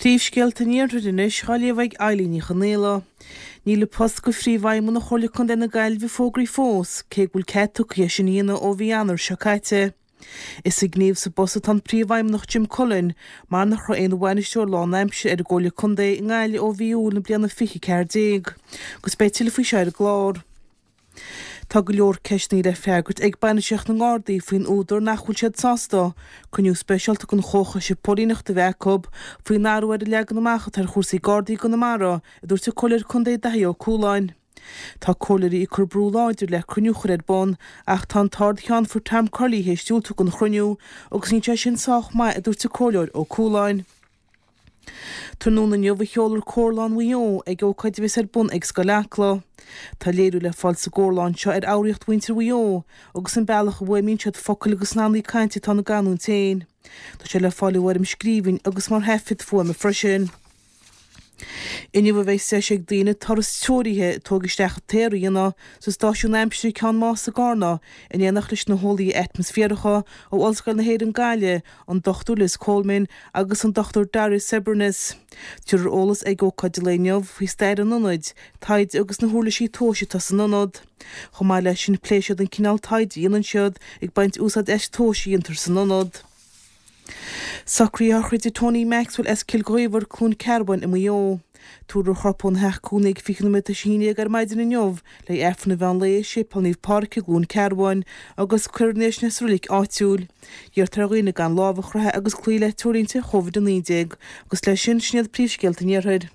Príomhscéalta an Iarthair anois á léamh ag Eilín Ní Chonaola. Níl an post do Phríomhfheidhmeannach Chomhairle Contae na Gaillimhe fógraithe fós, cé go bhfuil cead tugtha é sin a dhéanamh ó mhí Eanáir seo caite. Is ag gníomhú sa bpost atá an Príomhfheidhmeannach Jim Cullen mar nach raibh aon bhainisteoir lán-aimsire ar an gComhairle Contae i nGaillimh ó mhí Iúil na bliana 2014. Agus beidh tuilleadh faoi seo ar an gclár. Tá go leor ceisteanna le freagairt ag bainistíocht na nGardaí faoin údar nach bhfuil siad sásta cruinniú speisialta den Chomhchoiste Póilíneachta a bheith acu faoin athrú ar an leagan amach atá ar chúrsaí Gardaí i gConamara, a dúirt an Comhairleoir Contae Daithí Ó Cualáin. Tá comhairleoirí ag cur brú láidir le cruinniú a chur ar bun ach tá an tArd-Cheannfort Tom Curley théis diúltú don chruinniú agus níl sé sin sách maith, a dúirt an Comhairleoir Ó Cualáin. Tráthnóna inniu a sheolfar Córlán Mhaigh Eo ag ócáid a bheas ar bun ag Scoil Acla. Tá léiriú le fáil sa gcórlán seo ar fhoghraíocht mhuintir Mhaigh Eo agus an bealach a bhfuaimníonn siad focail agus nathanna cainte atá ina gcanúint féin. Tá sé le fáil i bhfoirm scríbhinn agus mar thaifead fuaime freisin. Inniu a bheas deis ag daoine turas treoraithe tóg isteach an t-aer a dhéanamh sa stáisiún aimsire Ceann Mása i gCarna in éineacht leis na heolaithe atmaisféaracha ó Ollscoil na hÉireann Gaillimh, an Dr Liz Coleman agus an Dr Darius Cebrenius. Tabharfar eolas ag ócáid an lae inniu faoi stair an ionaid taighde agus na huirlisí tomhais atá san ionad. Chomh maith leis sin pléifidh siad an cineál taighde a dhéanann siad ag baint úsáid as tomhais a dhéantar san ionad. Socruithe a shochraide Tony Maxwell as Cill Ghaobhair, Cluain Cearbán i Maigh Eo. Tabharfar a chorp óna theach cónaí ag 20 nóiméad tar éis a haon déag ar maidin inniu le Aifreann an mheán lae i Séipéal Naomh Pádraig i gCluain Cearbán agus cuirfear ina dhiaidh sin é sa reilig áitiúil. Iarrtar ar dhaoine gan lámh a chroitheadh agus cloí le treoirlínte Covid-19 agus leis sin, sin iad príomhscéalta an Iarthair.